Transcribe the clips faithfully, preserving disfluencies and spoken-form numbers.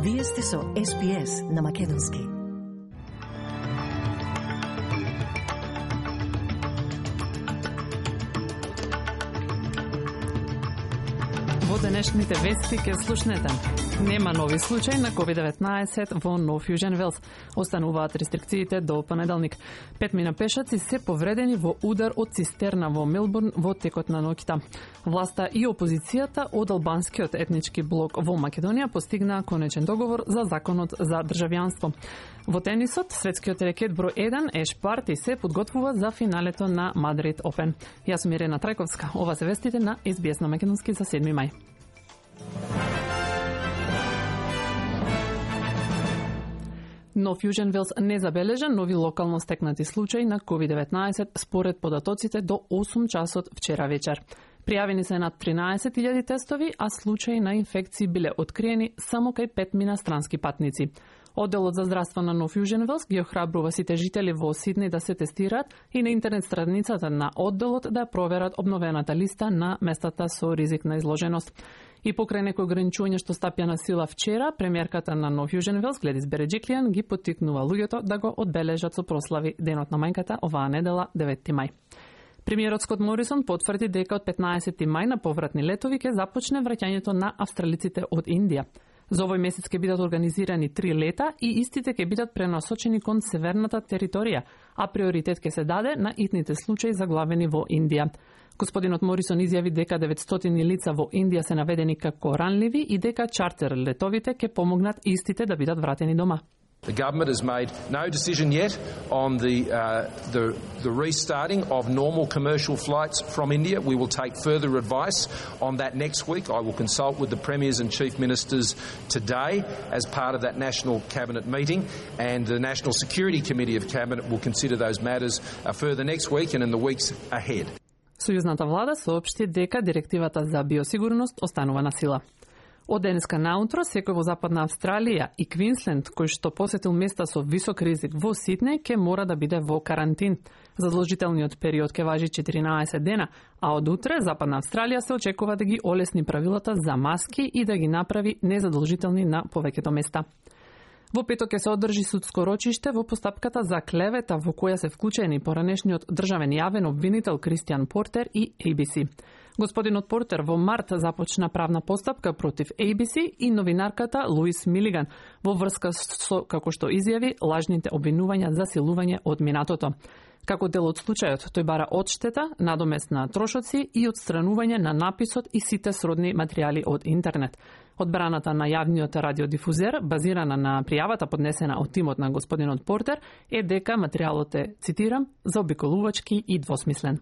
Вие сте со Ес Би Ес на Македонски. Во денешните вести ке слушнете. Нема нови случаи на ковид деветнаесет во Нов Јужен Велс. Остануваат рестрикциите до понеделник. Петмина пешаци се повредени во удар од цистерна во Мелбурн во текот на ноќта. Власта и опозицијата од албанскиот етнички блок во Македонија постигнаа конечен договор за законот за државјанство. Во тенисот, светскиот рекет број еден Еш Барти се подготвува за финалето на Мадрид Опен. Јас сум Ирена Трајковска. Ова се вестите на Ес Би Ес на Македонски за седми мај. Нов Јужен Велс не забележа нови локално стекнати случаи на ковид деветнаесет според податоците до осум часот вчера вечер. Пријавени се над тринаесет илјади тестови, а случаи на инфекции биле откриени само кај петмина странски патници. Одделот за здравство на Нов Јужен Велс ги охрабрува сите жители во Сиднеј да се тестираат и на интернет страницата на одделот да проверат обновената листа на местата со ризик на изложеност. И покрај некои ограничувања што стапја на сила вчера, премиерката на Нов Јужен Велс Гледис Береџиклијан ги поттикнува луѓето да го одбележат со прослави Денот на мајката оваа недела деветти мај. Премиерот Скот Морисон потврди дека од петнаесетти мај на повратни летови ќе започне враќањето на австралиците од Индија. За овој месец ќе бидат организирани три лета и истите ќе бидат пренасочени кон северната територија, а приоритет ќе се даде на итните случаи заглавени во Индија. Господинот Морисон изјави дека деветстотини лица во Индија се наведени како ранливи и дека чартер летовите ќе помогнат истите да бидат вратени дома. The government has made no decision yet on the, uh, the, the restarting of normal commercial flights from India. We will take further advice on that next week. I will consult with the Premiers and Chief Ministers today as part of that National Cabinet meeting, and the National Security Committee of Cabinet will consider those matters uh, further next week and in the weeks ahead. Сојузната влада соопшти дека директивата за биосигурност останува на сила. Од денеска наутро, секој во Западна Австралија и Квинсленд, кој што посетил места со висок ризик во Сиднеј, ќе мора да биде во карантин. Задолжителниот период ќе важи четиринаесет дена, а од утре Западна Австралија се очекува да ги олесни правилата за маски и да ги направи незадолжителни на повеќето места. Во петок ќе се одржи судско рочиште во постапката за клевета во која се вклучени поранешниот државен јавен обвинител Кристијан Портер и Ей Би Си. Господинот Портер во март започна правна постапка против Ей Би Си и новинарката Луис Милиган во врска со, како што изјави, лажните обвинувања за силување од минатото. Како дел од случајот, тој бара одштета, надомест на трошоци и отстранување на написот и сите сродни материјали од интернет. Одбраната на јавниот радиодифузер, базирана на пријавата поднесена од тимот на господинот Портер, е дека материјалот е, цитирам, заобиколувачки и двосмислен.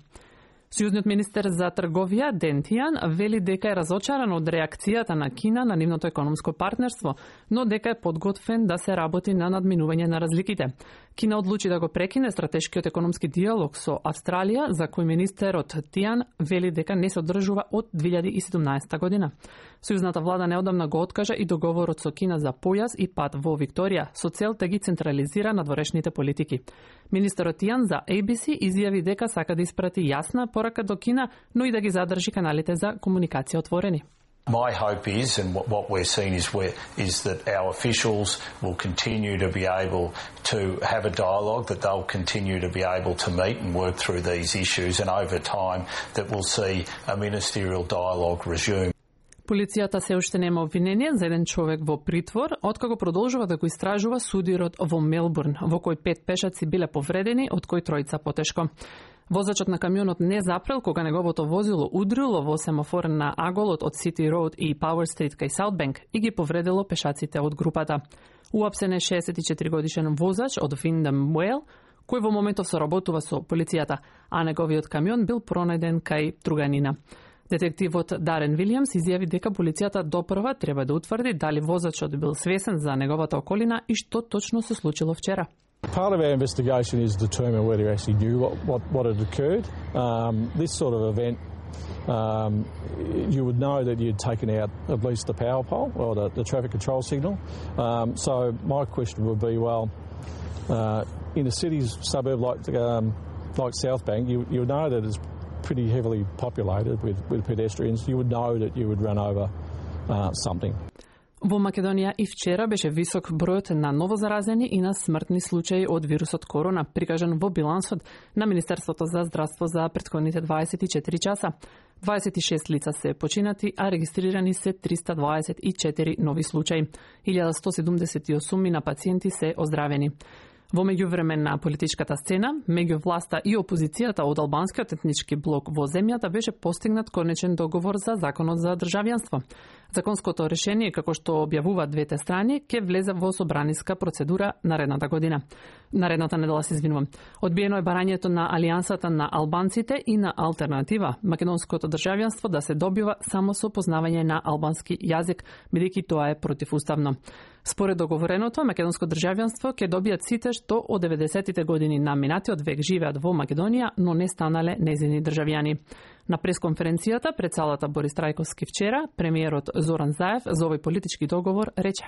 Сојузниот министер за трговија Ден Тијан вели дека е разочаран од реакцијата на Кина на нивното економско партнерство, но дека е подготвен да се работи на надминување на разликите. Кина одлучи да го прекине стратешкиот економски диалог со Австралија, за кој министерот Тијан вели дека не се одржува од две илјади и седумнаесета година. Сојузната влада неодамна го откажа и договорот со Кина за појас и пат во Викторија, со цел да ги централизира надворешните политики. Министерот Тијан за Ей Би Си изјави дека сака да испрати јасна порака до Кина, но и да ги задржи каналите за комуникација отворени. My hope is, and what, what we're seeing is, where, is that our officials will continue to be able to have a dialogue, that they'll continue to be able to meet and work through these issues, and over time that we'll see a ministerial dialogue resume. Полицијата се уште нема обвинение за еден човек во притвор, откако продолжува да го истражува судирот во Мелбурн, во кој пет пешаци биле повредени, од кои тројца потешко. Возачот на камионот не запрел кога неговото возило удрило во семафор на аголот од Сити Роуд и Пауер Стрит кај Саутбенк и ги повредило пешаците од групата. Уапсен е шеесет и четири годишен возач од Виндам Уейл, кој во моментов соработува со полицијата, а неговиот камион бил пронајден кај Труганина. Детективот Дарен Вилијамс изјави дека полицијата допрва треба да утврди дали возачот бил свесен за неговата околина и што точно се случило вчера. Part of our investigation is to determine whether he actually knew what, what, what had occurred. Um, this sort of event, um, you would know that you'd taken out at least the power pole or the, the traffic control signal. Um, so my question would be, well, uh, in a city's suburb like um, like Southbank, you you would know that it's pretty heavily populated with, with pedestrians. You would know that you would run over uh, something. Во Македонија и вчера беше висок бројот на новозаразени и на смртни случаи од вирусот корона, прикажан во билансот на Министерството за здравство за претходните дваесет и четири часа. дваесет и шест лица се починати, а регистрирани се триста дваесет и четири нови случаи. илјада сто седумдесет и осум на пациенти се оздравени. Во меѓувреме на политичката сцена, меѓу власта и опозицијата од албанскиот етнички блок во земјата беше постигнат конечен договор за законот за државјанство. Законското решение, како што објавуваат двете страни, ќе влезе во собраниска процедура наредната година. Наредната недела, се извинувам. Одбиено е барањето на Алијансата на албанците и на алтернатива македонското државјанство да се добива само со познавање на албански јазик, бидејќи тоа е противуставно. Според договореното, македонско државјанство ќе добијат сите што од деветдесетите години на минатиот век живеат во Македонија, но не станале нејзини државјани. На пресконференцијата пред салата Борис Трајковски вчера, премиерот Зоран Заев за овој политички договор рече: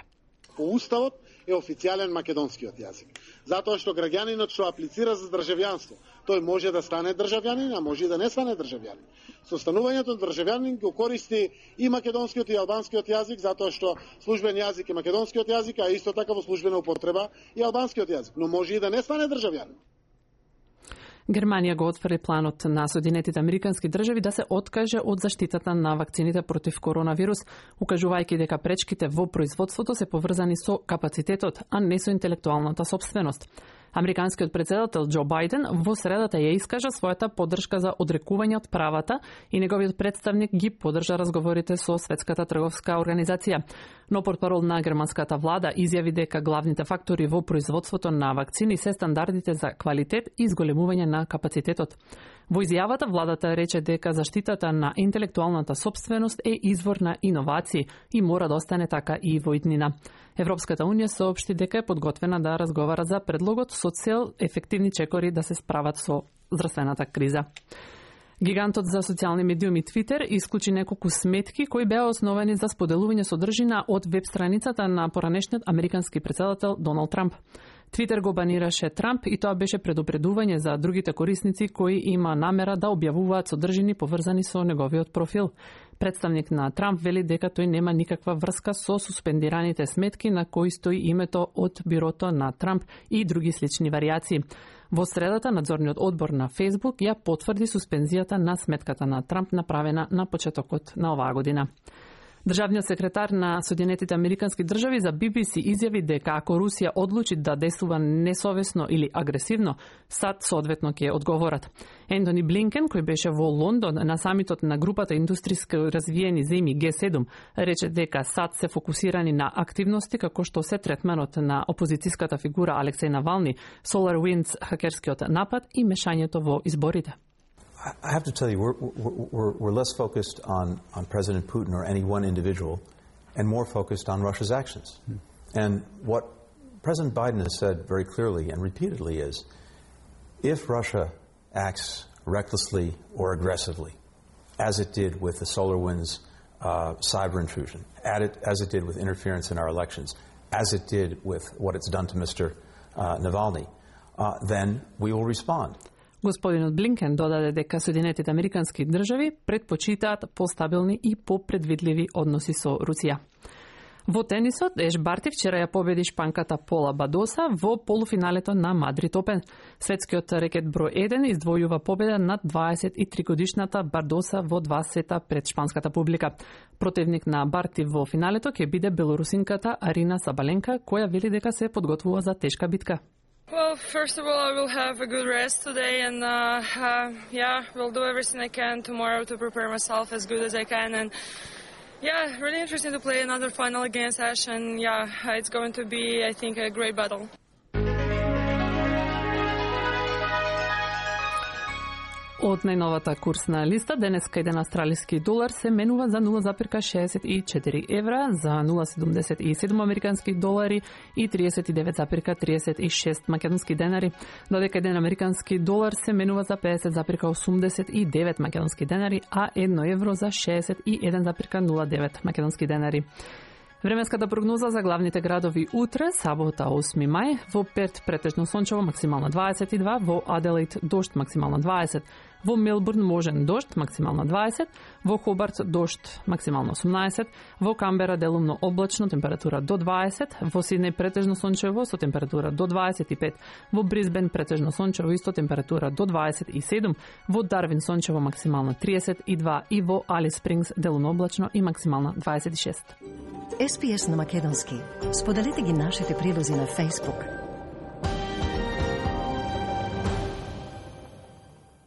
По уставот е официјален македонскиот јазик, затоа што граѓанинот што аплицира за државјанство, тој може да стане државјанин, а може и да не стане државјанин. Со станувањето на државјанин го користи и македонскиот и албанскиот јазик, затоа што службен јазик е македонскиот јазик, а исто така во службена употреба и албанскиот јазик, но може и да не стане државјанин. Германија го отфрли планот на Соединетите Американски држави да се откаже од заштитата на вакцините против коронавирус, укажувајќи дека пречките во производството се поврзани со капацитетот, а не со интелектуалната сопственост. Американскиот председател Џо Бајден во средата ја искажа својата поддршка за одрекување од правата и неговиот представник ги поддржа разговорите со Светската трговска организација. Но портпарол на германската влада изјави дека главните фактори во производството на вакцини се стандардите за квалитет и изголемување на капацитетот. Во изјавата владата рече дека заштитата на интелектуалната сопственост е извор на иновации и мора да остане така и во иднина. Европската унија соопшти дека е подготвена да разговара за предлогот со цел ефективни чекори да се справат со здравствената криза. Гигантот за социјални медиуми Twitter исклучи неколку сметки кои беа основани за споделување содржина од веб страницата на поранешниот американски претседател Доналд Трамп. Твитер го банираше Трамп и тоа беше предупредување за другите корисници кои има намера да објавуваат содржини поврзани со неговиот профил. Представник на Трамп вели дека тој нема никаква врска со суспендираните сметки на кои стои името од бирото на Трамп и други слични варијации. Во средата надзорниот одбор на Facebook ја потврди суспензијата на сметката на Трамп направена на почетокот на оваа година. Државниот секретар на Соединетите Американски држави за Би Би Си изјави дека ако Русија одлучи да действува несовесно или агресивно, САД соодветно ќе одговорат. Ентони Блинкен, кој беше во Лондон на самитот на групата индустријски развиени земји Ге седум, рече дека САД се фокусирани на активности како што се третманот на опозицијската фигура Алексеј Навални, SolarWinds хакерскиот напад и мешањето во изборите. I have to tell you, we're, we're, we're less focused on, on President Putin or any one individual and more focused on Russia's actions. Hmm. And what President Biden has said very clearly and repeatedly is, if Russia acts recklessly or aggressively, as it did with the SolarWinds uh, cyber intrusion, it, as it did with interference in our elections, as it did with what it's done to Mister Uh, Navalny, uh, then we will respond. Господинот Блинкен додаде дека Соединетите Американски држави предпочитаат постабилни и попредвидливи односи со Русија. Во тенисот, Еш Барти вчера ја победи шпанката Пола Бадоса во полуфиналето на Мадрид Опен. Светскиот рекет број еден издвојува победа над дваесет и три годишната Бардоса во два сета пред шпанската публика. Противник на Барти во финалето ќе биде белорусинката Арина Сабаленка, која вели дека се подготвува за тешка битка. Well, first of all, I will have a good rest today, and uh, uh, yeah, we'll do everything I can tomorrow to prepare myself as good as I can. And yeah, really interesting to play another final against Ash, and yeah, it's going to be, I think, a great battle. Од најновата курсна листа, денеска еден австралиски долар се менува за нула запирка шеесет и четири евра, за нула запирка седумдесет и седум американски долари и триесет и девет запирка триесет и шест македонски денари, додека еден американски долар се менува за педесет запирка осумдесет и девет македонски денари, а едно евро за шеесет и еден запирка нула девет македонски денари. Временската прогноза за главните градови утре, сабота осми мај, во Перт претежно сончево максимално дваесет и два, во Аделаид дожд максимално дваесет, Во Мелбурн можен дожд, максимално дваесет, во Хобарт дожд, максимално осумнаесет, во Камбера делумно облачно, температура до дваесет, во Сиднеј претежно сончево со температура до дваесет и пет, во Брисбен претежно сончево исто температура до дваесет и седум, во Дарвин сончево максимално триесет и два и во Алис Спрингс делумно облачно и максимално дваесет и шест. Ес Би Ес на македонски. Споделете ги нашите прилози на Facebook,